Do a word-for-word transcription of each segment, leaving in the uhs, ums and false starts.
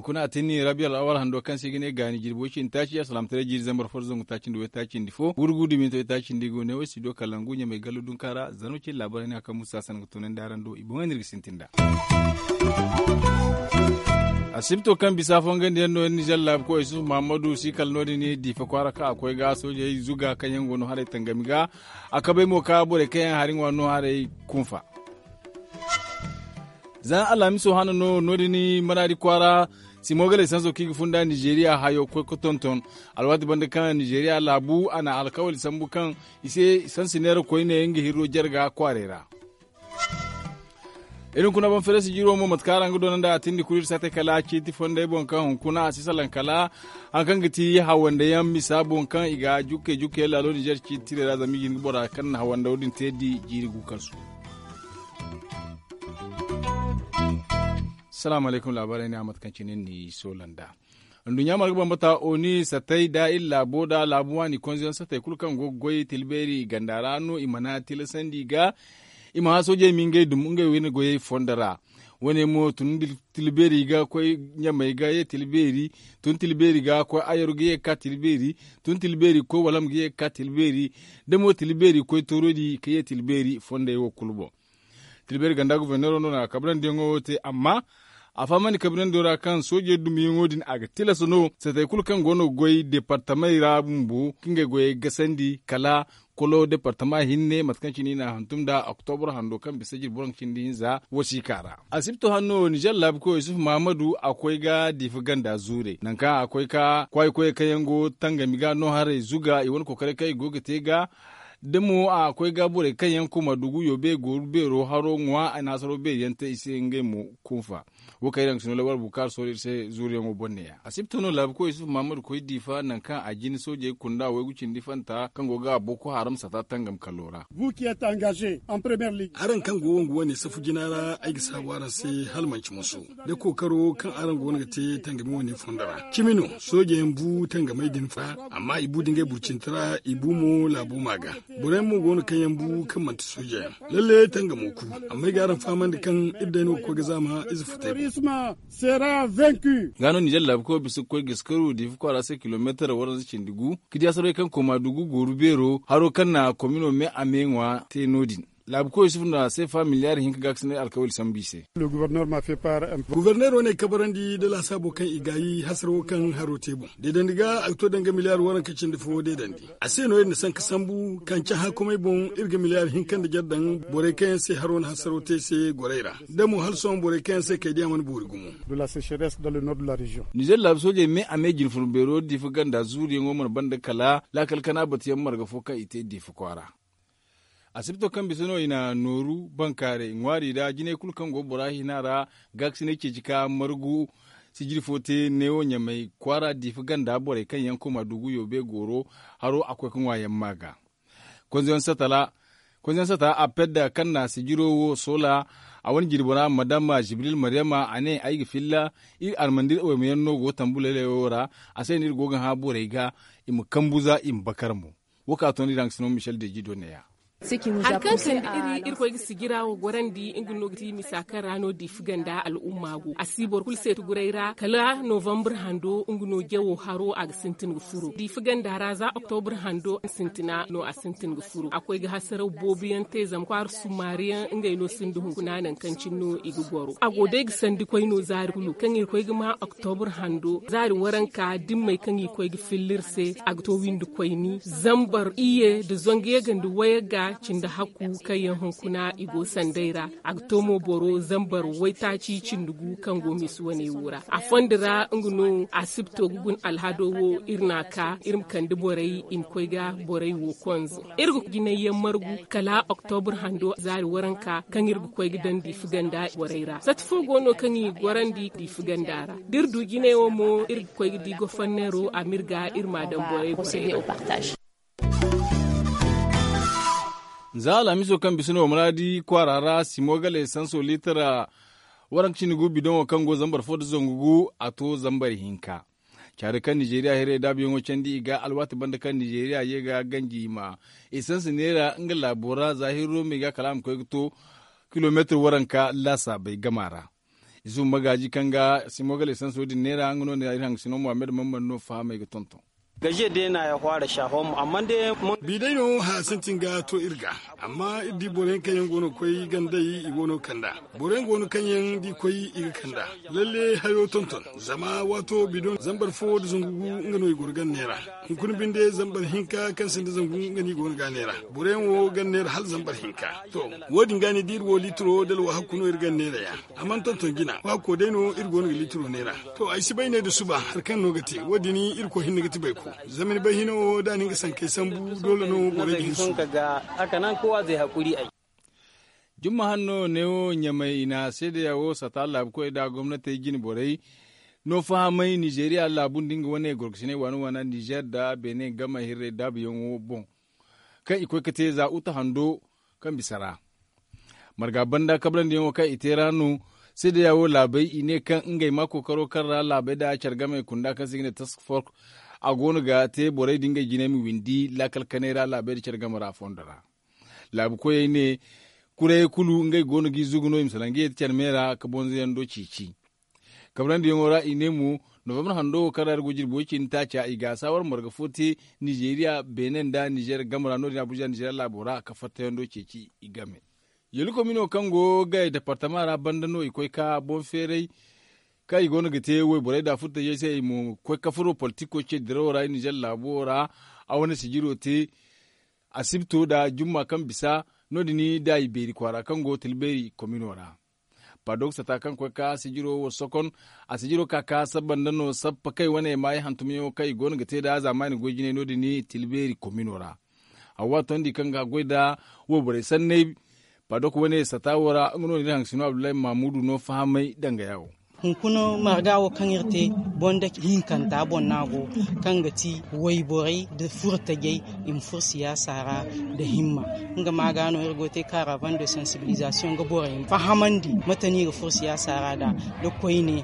Kuna a tinni rabiya al'awar hando kaŋ se i ga ne gaani jirbi way cindi taaci alsalaamataray jiiri zambar fo da zangu taaci nda way taaci nda fo gurgu duminto way taaci nda i go ne way si do kala ngu ɲamay gallu dunka ra zano cindi laabaray ne a kaŋ musa sanaŋ ga tunandi araŋ do i boŋey no iri ga sintin nd'a. Asibto kaŋ bisa fongandi yaŋ no iri nizer laabu koy isufu muhammadu si kala no- din diifa kwaara kaŋ a koy ga soojey zuga kaŋ yaŋ go no haray tangami ga a kabay mo ka borey kaŋ yaŋ hari ŋwa no haray kunfa. Za alhamiso hana no no- din maraadi kwaara simo ga laysanso kaŋ i ga funda nizeeriya hayo ga koy ga tonton alwaati banda kaŋ nizeeriya laabu a na alkawali sambu kaŋ i se sansi neera koyne nga hirro jarga kwaarey ra. Iri hunkuna boŋ fereesi jiro mo mate kaŋ araŋ ga doona nd'a a tindi kulu iri saate kala ciiti fondey boŋ kaŋ hunkuna a si salaŋ kala hari kaŋ ga ti hawande yaŋ misa boŋ kaŋ i ga jukkey jukkey laalo ninzeer ciiti tirey ra zama i ga hin ga bora kaŋ na hawande wo- din te di jiiri gu kaŋ su. Salaamu alaykum laabaarey ne a mate kaŋ cine ni soola nd'a. Nduɲɲa marga bambata oni satay da iri laabo da laabu waani konzeyaŋ satay kulu kaŋ go ga goy tila beeri ganda ra no i mana tilasandi ga i ma hã soojey ma ngey dum ngey wane goyey fondo ra. Wane mo tun tila beeri ga koy ɲamey ga ye tila beeri tun tila beeri ga koy ayaro ga ye ga ka tila beeri tun tila beeri ga koy walam ga ye ga ka tila beeri da mo tila beeri ga koy toorodi ga ye tila beeri fondey wo kulu boŋ. Tila beeri ganda goforneero no na kabrandiyaŋo wo te amma a fahamandi kabrandiyo ra kaŋ soojey dumiyaŋo din a ga tilas no satey kulu kaŋ go no ga goy deepartamey ra bumbo ga ngey goyey gasandi kala kolo deepartama hinne mate kaŋ cine i n'a hantum nd'a oktobro hando kaŋ bisa jirbi waranka cindi hinza wasiika ra. Asibto hanno ninzeer laabu koy isufu mahamadu a koy ga diifa ganda zuurey nangu kaŋ a koy ga kwaayi koyey kaŋ yaŋ go tangami ga no haray zuga i wane kokoray kaŋ i go ga te ga da mo a koy ga borey kaŋ yaŋ koma dugu yoobe gooru beero haro ŋwa a na hasaro beeri yaŋ te i se ngey mo kunfa. Wo kaŋ iri yaŋ ga si no labar bukaari sohõ iri se zuuriyaŋo boŋ ne- ya asibta no laabu koy isufu mahamadu koy diifa nangu kaŋ a jin soojey kunda waygu cindi fanta kaŋ go ga boko haram sata tangam kallo ra. Araŋ kaŋ go wongu wane safu jina ra ay ga saabu araŋ se hala manci musu da kookaro kaŋ araŋ go no ga te tangami wane fondo ra cimi no. Soojey yaŋ bu tangamey din fa amma i bu da ngey burcinti ra i bu mo laabo ma ga. Borey mo go no kaŋ yaŋ bu kaŋ manti sooje yaŋ. Lalle tangamo ku amma ay ga araŋ fahamandi kaŋ iri day no ga koy ga zaama ize futay boŋ. Ga no ninzeer laabu koy bisa ga koy ga iskaru diifa kwaara se kilomeetar waranza cindi gu ga di hasarey kaŋ koma dugu gooru beero haro kaŋ na komino me a me ŋwa te no- din. Laabu koy isufu no a se fa miliyaari hinka gaakasinay alkawali sambu i se. Guforneero ne kabarandi nda laasaabo kaŋ i gaayi hasaro kaŋ haro te boŋ deedandi ga a ga to danga miliyaari waranka cindi fo deedandi. A se no iri na sanka sambu kaŋ cahã komey boŋ iri ga miliyaari hinka nda jare daŋ borey kaŋ yaŋ se haro na hasaro te se gorey ra da mo hala sohõ borey kaŋ yaŋ se kaydiya mana boori gumo. Nizeer laabu soojey me a me jinfur beero diifa ganda zuuriyaŋo mana banda kala laakal kana batuyaŋ marga fo kaŋ i te diifa kwaara. Asibto kaŋ bisa no i na nooru bankaaray ŋwaari ra jinay kulu kaŋ go bora hina ra gaakasinay ceeci ka margu sijiri fo te neewo ɲamay kwaara diifa ganda borey kaŋ yaŋ koma dugu yoobe gooro haro a koy ga ŋwa yaŋ ma ga. Konzeyaŋ sata a pedda kaŋ na sijiro wo soola a wane jirbi ra madama jibril maryama a ne ay ga filla iri armandi iri oyma yaŋ no go tambu laylay wo ra. A se no iri go ga hã borey ga i ma kambu za i ma bakar mo. Wo kaŋ a toonandi ra nga si no michel deji do neeya. Hari kaŋ sanda iri irkoy ga sijira wo gorandi nga no ga ti misa kaŋ ra no diifa ganda al'umma go a si boro kulu seeti guray ra kala novambar hando nga no jawo haro a ga sintin ga furo diifa ganda ra za oktobar hando sintina no a sintin ga furo a koy ga hasaraw boobo yaŋ te zama kwaara sumaari yaŋ ngey no sinda hunkuna nangu kaŋ cine no i ga goro a go day ga sandi koy no zaari kulu kaŋ irkoy ga ma oktobar hando zaari waranka dimmey kaŋ i koy ga filla iri se a ga to windi koyni zambar iyye nda zangu yagga nda wayagga cindi hakku kaŋ yaŋ hunkuna i go sanday ra. A ga to mo boro zambar waytaaci cindi gu kaŋ go misi wane wo ra a fondo ra nga no asibto ga guna alhado wo iri n'a ka iri ma kande borey i ma koy ga borey wo konze. Iri ga jinay yaŋ margu kala oktobar hando zaari waranka kaŋ iri ga koy ga daŋ diifa ganda borey ra sati fo go no kaŋ i gorandi diifa ganda ra da iri du jinay wo mo iri ga koy ga di goforneero a ma iri ga iri m'a daŋ borey borey ra. Za alhamiso kaŋ bisa no maraadi kwaara ra simo gale sanso liitara waranka cindi gu bidoŋo kaŋ go zambar fo nda zangu gu a to zambar hinka. Caari kaŋ nizeeriya hirey daabuyaŋo candi i ga alwaati banda kaŋ nizeeriya ye ga ganji i ma esansi neera nga laabo ra za hirro me ga kala a ma koy ga to kilomeetir waranka laasaabey gama ra. Isu magaaji kaŋ ga simo ga lesanso din neera nga no ne iri haŋ ga sino muhammad mamman no fahamay ga tonton. Gajiya day na ya hwaara shahom amma day. Bi day no haya sintin ga to iri ga. Amma iri di boro yaŋ kaŋ yaŋ go no ga koy gandey i go no ga kand'a. Boro yaŋ go no kaŋ yaŋ da i koy i ga kand'a. Lalle hayo tonton. Zama waato bidon zambar fo nda zangu gu nga no i goro ganda neera. Hunkuna binde zambar hinka kaŋ sinda zangu nga no i go no ga a neera. Boro yaŋ wo ganda neera hala zambar hinka. To, wo- din ga ni da iri wo liitiro da alwahakku no iri ganda neera ya. A mana tonton jina waako day no iri go no ga liitiro neera. To, ay si bay ne nda suba hari kaŋ no ga te wo- din irkoy hinne ga ti bayko. Zama ni bay hino wo da a na nga sankey sambu doole no borey ga hin suba. Jumma hanno neewo ɲamay i na seedeya wo sata laabukoy nda gomnatey jine borey no fahamay nizeeriya laabu nda nga wane gorkosiney waana waana nizeer nda beene game hirrey daabuyaŋo boŋ, kaŋ i koy ga te za uta hando kaŋ bisa ra. Marga banda kabrandi yaŋo kaŋ i te ra no. Seedeya wo laabey i ne kaŋ ngey ma kookaro kaŋ ra laabey nda care game kunda kaŋ se i ga ne task fork a go no ga te borey nda ngey jinay ma windi laakal kanay ra laabey nda care game ra fondo ra. Laabu koyey ne, kurayey kulu ngey go no ga i zugu no i ma salaŋ ga ye nda care me ra ga bonzoyaŋ do ceeci. Kabrandiyaŋo ra i ne mo, novambar hando wo kaŋ ra iri go jirbi way- cindi taaca i ga saawar marga fo te nizeeriya beene nda nizeer game ra no- din abuja nizeeriya laabo ra ka fattayaŋ do ceeci i game. Yallu komino kaŋ go ga departama ra banda no i koy ka boŋ feeray kaŋ i go no ga te wayborey nda furtajey se i ma koy ka furo politiko ce dirawo ra nizeer laabo wo ra. A wane sijiro te asibto nda jumma kaŋ bisa no- din da i beeri kwaara kaŋ go tilbeeri komino ra. Padok sata kaŋ koy ka sijiro wo sokon a sijiro ka ka sabba nda no sappa kay wane maayi hantumyaŋo kaŋ i go no ga te nda zaamaani goy jinay no- din tilbeeri komino ra. Hawa tondi kaŋ ga goy nda wayborey sanney. Padok wane sata wo ra nga no na iri haŋ sino abdullahi mahamudu no fahamay danga ya wo. Hunkuna marga wo kaŋ iri te bonda hinkanta boŋ no a go, kaŋ ga ti wayborey nda furo tajey i ma furo siyaasa ra nda himma. Nga ma ga no iri go ga te kaaravan de sansibilizasiyoŋ ga borey fahamandi mate no i ga furo siyaasa ra nd'a, nda koyne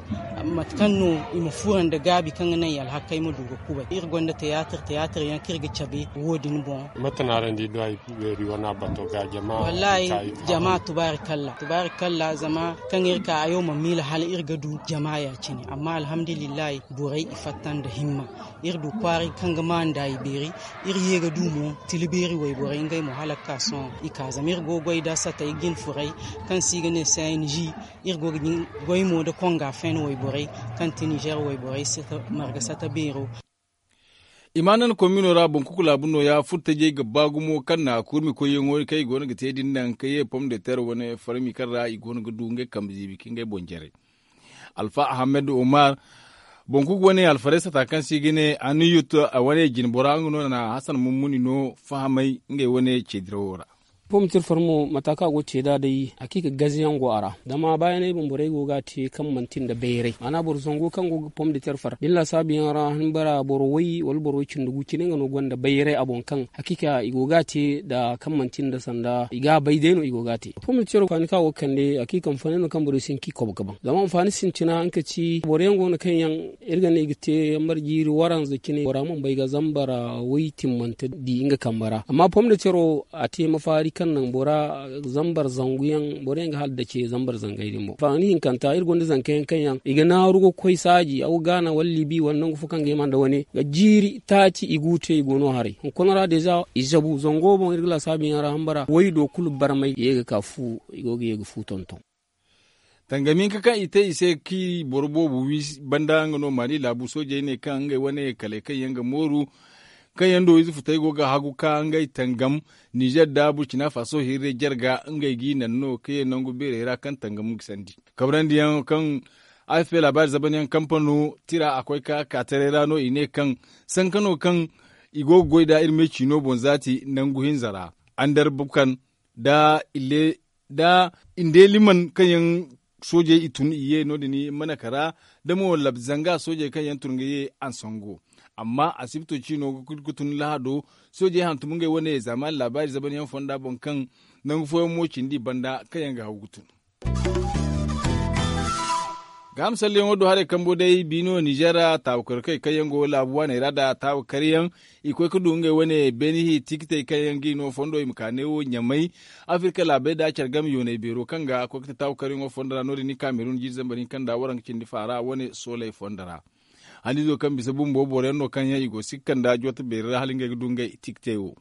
mate kaŋ no i ma furo nda gaabi kaŋ ga naŋ i alhakey ma du ga kubay iri gonda tiyaatir tiyaatir yaŋ kaŋ iri ga cabe wo- din boŋ. Mate no araŋ di duway beeri wane a bato ga jama? Wallahi, jama tubaari kalla tubaari kalla zama kaŋ iri ka hayo ma miila hala iri ga du jama ya- cine amma alhamdulillahi borey i fatta nda himma. Iri du kwaara kaŋ ga maanu ndaayi beeri. Iri ye ga du mo tila beeri wayborey ngey mo hala ga ka sohõ i ka zama iri go ga goy nda satey jine furey kaŋ se i ga ne cng. Iri go ga goy mo nda konga feene wayborey kaŋ ti nizeer wayborey marga sata beero. Imanan komino ra boŋ kuku laabu nooya furtajey ga ba gumo kaŋ na kurmi koyyaŋo kaŋ i go no ga te din naŋ ka ye pom de ter wane farmi kaŋ ra i go no ga du ngey kambe ziibi ka ngey boŋ jare. Alfa ahamed omar boŋ kuku wane alfarey sata kaŋ se i ga ne aniyut wane jinbora nga no na hasan mummuni no fahamay ngey wane ceedirawo ra. Pom de ter far mo mata kaŋ a go ga te nd'a day hakiika gaze yaŋ go a ra. Zama baayaney boŋ borey go ga a te kaŋ manti nda bayray maana boro zango kaŋ go ga pom de ter far da ni laasaabu yaŋ ra hanbara boro way wala boro way cindi gu cine nga no gonda bayray a boŋ kaŋ hakiika i go ga a te nda kaŋ manti nda sanda i ga a bay day no i go ga a te. Pom de tero kaani kaŋ a go ga kande hakiika ma fannay no kaŋ borey si hin ka i kobo ga baŋ zama anfaani sintina nga ka ci boro yaŋ go no kaŋ yaŋ iri ga ne i ga te yambar jiiri waranza cine bora mana bay ga zambar way timmante di nga kambe ra amma pom de tero a te mafaari kaŋ naŋ bora zambar zangu yaŋ boro yaŋ ga hala dace zambar zangay din boŋ faani hinkanta iri gonda zanka yaŋ kaŋ yaŋ i ga naaru ga koy saaji aw gaana wala libi wala nangu fo kaŋ ga hima nda wane ga jiiri taaci i gu te i go no haray hunkuna ra deeza i zabu zango boŋ iri ga laasaabu yaŋ ra hambara way do kulu barmay ye ga ka fu i go ga ye ga fu tonton. Tangami hinka kaŋ i te i se kaŋ i boro boobo wi banda nga no maali laabu soojey ne kaŋ ngey wane kalay kaŋ yaŋ ga mooru kaŋ yaŋ do ize futey go ga hagu ka ngey tangam nizer nda burkina faso hirre jarga ngey g'i naŋ no ka ye nangu beerey ra kaŋ tangam ga sandi. Kabrandi yaŋ kaŋ afp laabaari zaban yaŋ kampano tira a koy ka ka taray ra no i ne kaŋ sanka no kaŋ i go ga goy nd'a iri me ciino boŋ zaati nangu hinza ra andar bukan nda ille nda i nde liman kaŋ yaŋ soojey i tun i ye no- din manaka ra da mo lab zanga soojey kaŋ yaŋ tun ga ye ansango. Amma asibto ciino ga kulu ga tun lahado soojey hantum ngey wane zaamaani laabaari zaban yaŋ fonda boŋ kaŋ nangu fooyaŋ mo cindi banda kaŋ yaŋ ga haw ga tun. Gaaham salleyaŋo do haray kambo day biino ninzeer ra taawakarkey kaŋ yaŋ go laabu waaney ra nda taawakaryaŋ, i koy ga du ngey wane beenihi tikitey kaŋ yaŋ ga i no fondo i ma ka neewo ɲamay. Afirka laabey nda care game yooney beero kaŋ ga koy ga te taawakaryaŋo fondo ra no- din ni kaamerun jiiri zambar hinka nda waranka cindi faara wane sooley fondo ra. Haniizo kaŋ bisa bumbo boro yaŋ no kaŋ yaŋ i go sikka nda joota beeri ra hala ngey ga du ngey tikitey wo.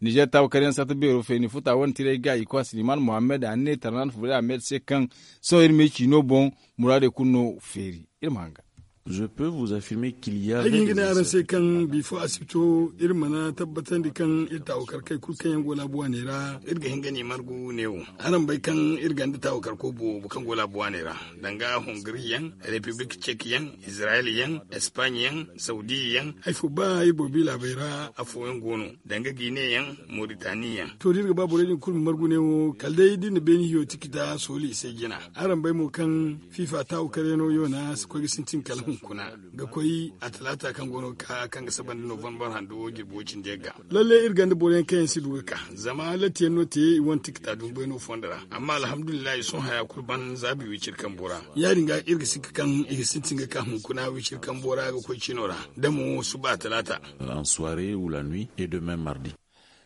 Ninzeer taawakaryaŋ sarta beero feeni futa wane tiray ga i kwa siliman mohammed a ne tarnan fure ahmed se kaŋ sohõ iri ma i ciino boŋ, muraadey kulu no feeri. Iri ma hanga. Ay ga hin ga ne araŋ se kaŋ bifo asibito iri mana tabbatandi kaŋ iri taawakarkey kulu kaŋ yaŋ go laabu waaney ra iri ga hin ga ne margu neewo. Araŋ bay kaŋ iri gonda taawakarko boobo kaŋ go laabu waaney ra, danga hongri yaŋ, repiblik cek yaŋ, izirayel yaŋ, espaaɲe yaŋ, sawdiya yaŋ. Hari fo ba iri boro bi laabey ra afooyaŋ go no, danga gine yaŋ, moritani yaŋ. To da iri ga ba borey din kulu ma margu neewo kala day da iri na beeni hiyo tikita sooli i se jina. Araŋ bay mo kaŋ fifa taawakaryaŋo yoona si koy ga sintin kala hunkuna, ga koy a talaata kaŋ go no ga ka kaŋ ga saba nda novambar hando jirbi wo cindi yagga. Lalle iri gonda boro yaŋ kaŋ yaŋ si du ga ka, zama latti yaŋ no te i wane tikita dumbayno fondo ra. Amma alhamdulillahi sohõ haya kulu ban zaabi wiciri kambo ra. Ya- din ga iri ga sikka kaŋ i ga sintin ga ka hunkuna wiciri kambo ra ga koy cino ra, da mo suba talaata.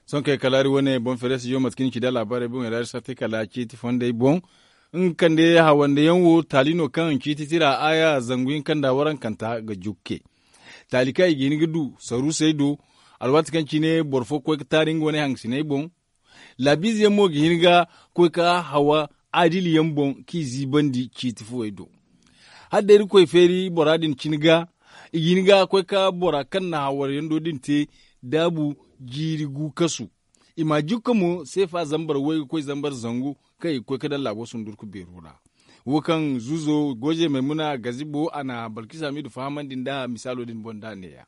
Sohõ kay kala hari wane boŋ feere studio mate kaŋ i ci da laabaarey boŋey ra iri sartay kala ciiti fondey boŋ. Nga kande hawande yaŋ wo taali no kaŋ ciiti tira aaya zangu hinka nda warankanta ga jukke. Taali kaŋ i ga hin ga du saruusey do, alwaati kaŋ cine boro fo ga koy ga taari nga wane hangasiney boŋ. Laabiize yaŋ mo ga hin ga koy ga hawa adili yaŋ boŋ k'i ziibandi ciiti fuwey do. Hala day iri ga koy feeri bora din cine ga, i ga hin ga koy ga bora kaŋ na hawar yando din te daabu jiiri gu kasu. I ma jukka mo seefa zambar way ga koy zambar zangu kaŋ i ga koy ga daŋ laabo sundurku beero ra. Wo kaŋ zuuzo goje maymuna gazibo a na balkisa miidu fahamandi nda misaalo din boŋ da a neeya.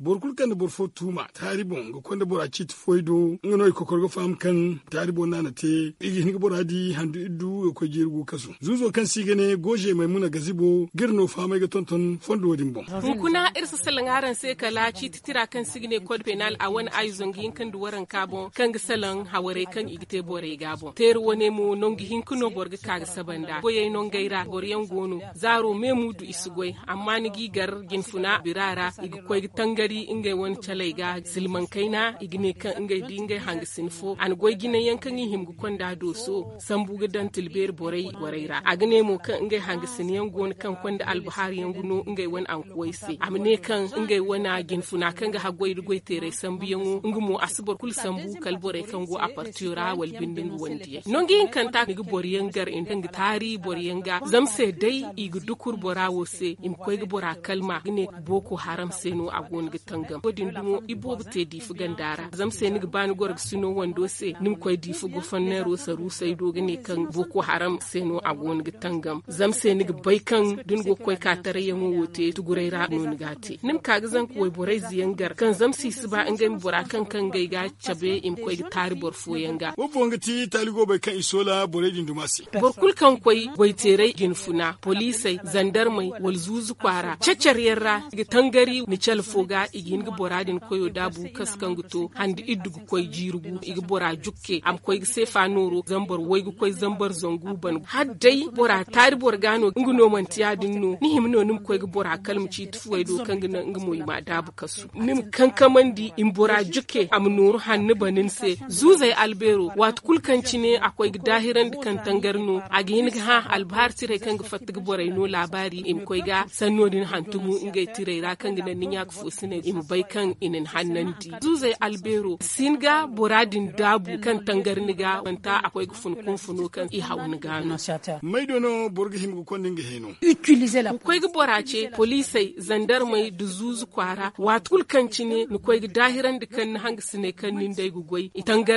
Boro kulu kaŋ na boro fo tuuma taari boŋ ga konda bora ciiti fooy do nga no i kokor ga faham kaŋ taari boŋ no a na te. I ga hin ga bora di handu iddu ga koy jiiri gu kasu zuuzo kaŋ se i ga ne goje maymuna gazibo ga iri no fahamay ga tonton fondo din boŋ. Hunkuna iri si salaŋ araŋ se kala ciiti tira kaŋ se i ga ne kod penal a wane ayo zangu hinka nda waranka boŋ kaŋ ga salaŋ hawarey kaŋ i ga te borey ga boŋ teeri wane mo nangu hinka no boro ga ka ga saba nd'a goyey nongey ra boro yaŋ go no. Zaaro me muudu i si goy amma ni g'i gar jinfuna bira ra i ga koy ga tangari ngey wane caley ga silmaŋ kayna i ga ne kaŋ ngey di ngey hangasin fo a na goy jinay yaŋ kaŋ i hima ga konda dooso sambu ga daŋ tilbeeri borey borey ra a ga ne mo kaŋ ngey hangasin yaŋ go no kaŋ konda albahar yaŋ ga no ngey wane ankuwey se a ma ne kaŋ ngey wane jinfuna kaŋ ga haggoy nda goyteeray sambuyaŋo nga mo a si boro kulu sambu kala borey kaŋ go a partiyo ra wala binde nga wandiyey nangu hinkanta ni ga boro yaŋ gar i kaŋ ga taari boro yaŋ ga zama se day i ga dukur bora wo se i ma koy ga bora kalma ga ne booko haram se no a go no ga tangam wo- din dumo iboobo te diifa ganda ra zama se ni ga ba ni goro ga sino wando se ni ma koy diifa gofanneero saruusey do ga ne kaŋ booko haram se no a go no ga tangam zama se ni ga bay kaŋ da ni go ga koy ka tarayyaŋo wo te tuguray ra no ni ga a te ni ma ka ga zanka wayborayze yaŋ gar kaŋ zama se i si ba ngey ma bora kaŋ kaŋ ngey ga cabe i ma koy ga taari boro fooyaŋ ga. Wo boŋ ga ti taali goobey kaŋ i soola borey din duma se. Boro kulu kaŋ koy goyteeray jinfuna poliisey zandarmey wala zuuzu kwaara cacar yaŋ ra i ga tangari ni cale fo ga i ga hin ga bora din koyo daabu kasu kaŋ ga to handi iddu ga koy jiiri gu i ga bora jukke a ma koy ga seefa nooro zambar way ga koy zambar zangu ban hala day bora taari boro ga no nga no manti ya- din no ni hima no ni ma koy ga bora kala ma ciiti fuwey do kaŋ ga naŋ nga mo i ma daabu kasu ni ma kankamandi i ma bora jukke a ma nooru hanno bana ni se. Zuuzey albeero waati kulu kaŋ cine a koy ga daahirandi kaŋ tangari no a ga hin ga hã albahar tirey kaŋ ga fatta ga borey no laabaari i ma koy ga sanno din hantumu ngey tirey ra kaŋ ga naŋ ni ɲaaka foosiney i ma bay kaŋ i na ni hannandi zuuzey albeero si hin ga bora din daabu kaŋ tangari ni ga wanta a koy ga fun kunfuno kaŋ i haw ni ga no. May do no boro ga hima ga konda nga heeno. Ni koy ga bora ce poliisey zandarmey nda zuuzu kwaara waati kulu kaŋ cine ni koy ga daahirandi kaŋ ni hangasiney kaŋ nin day ga goy i tangari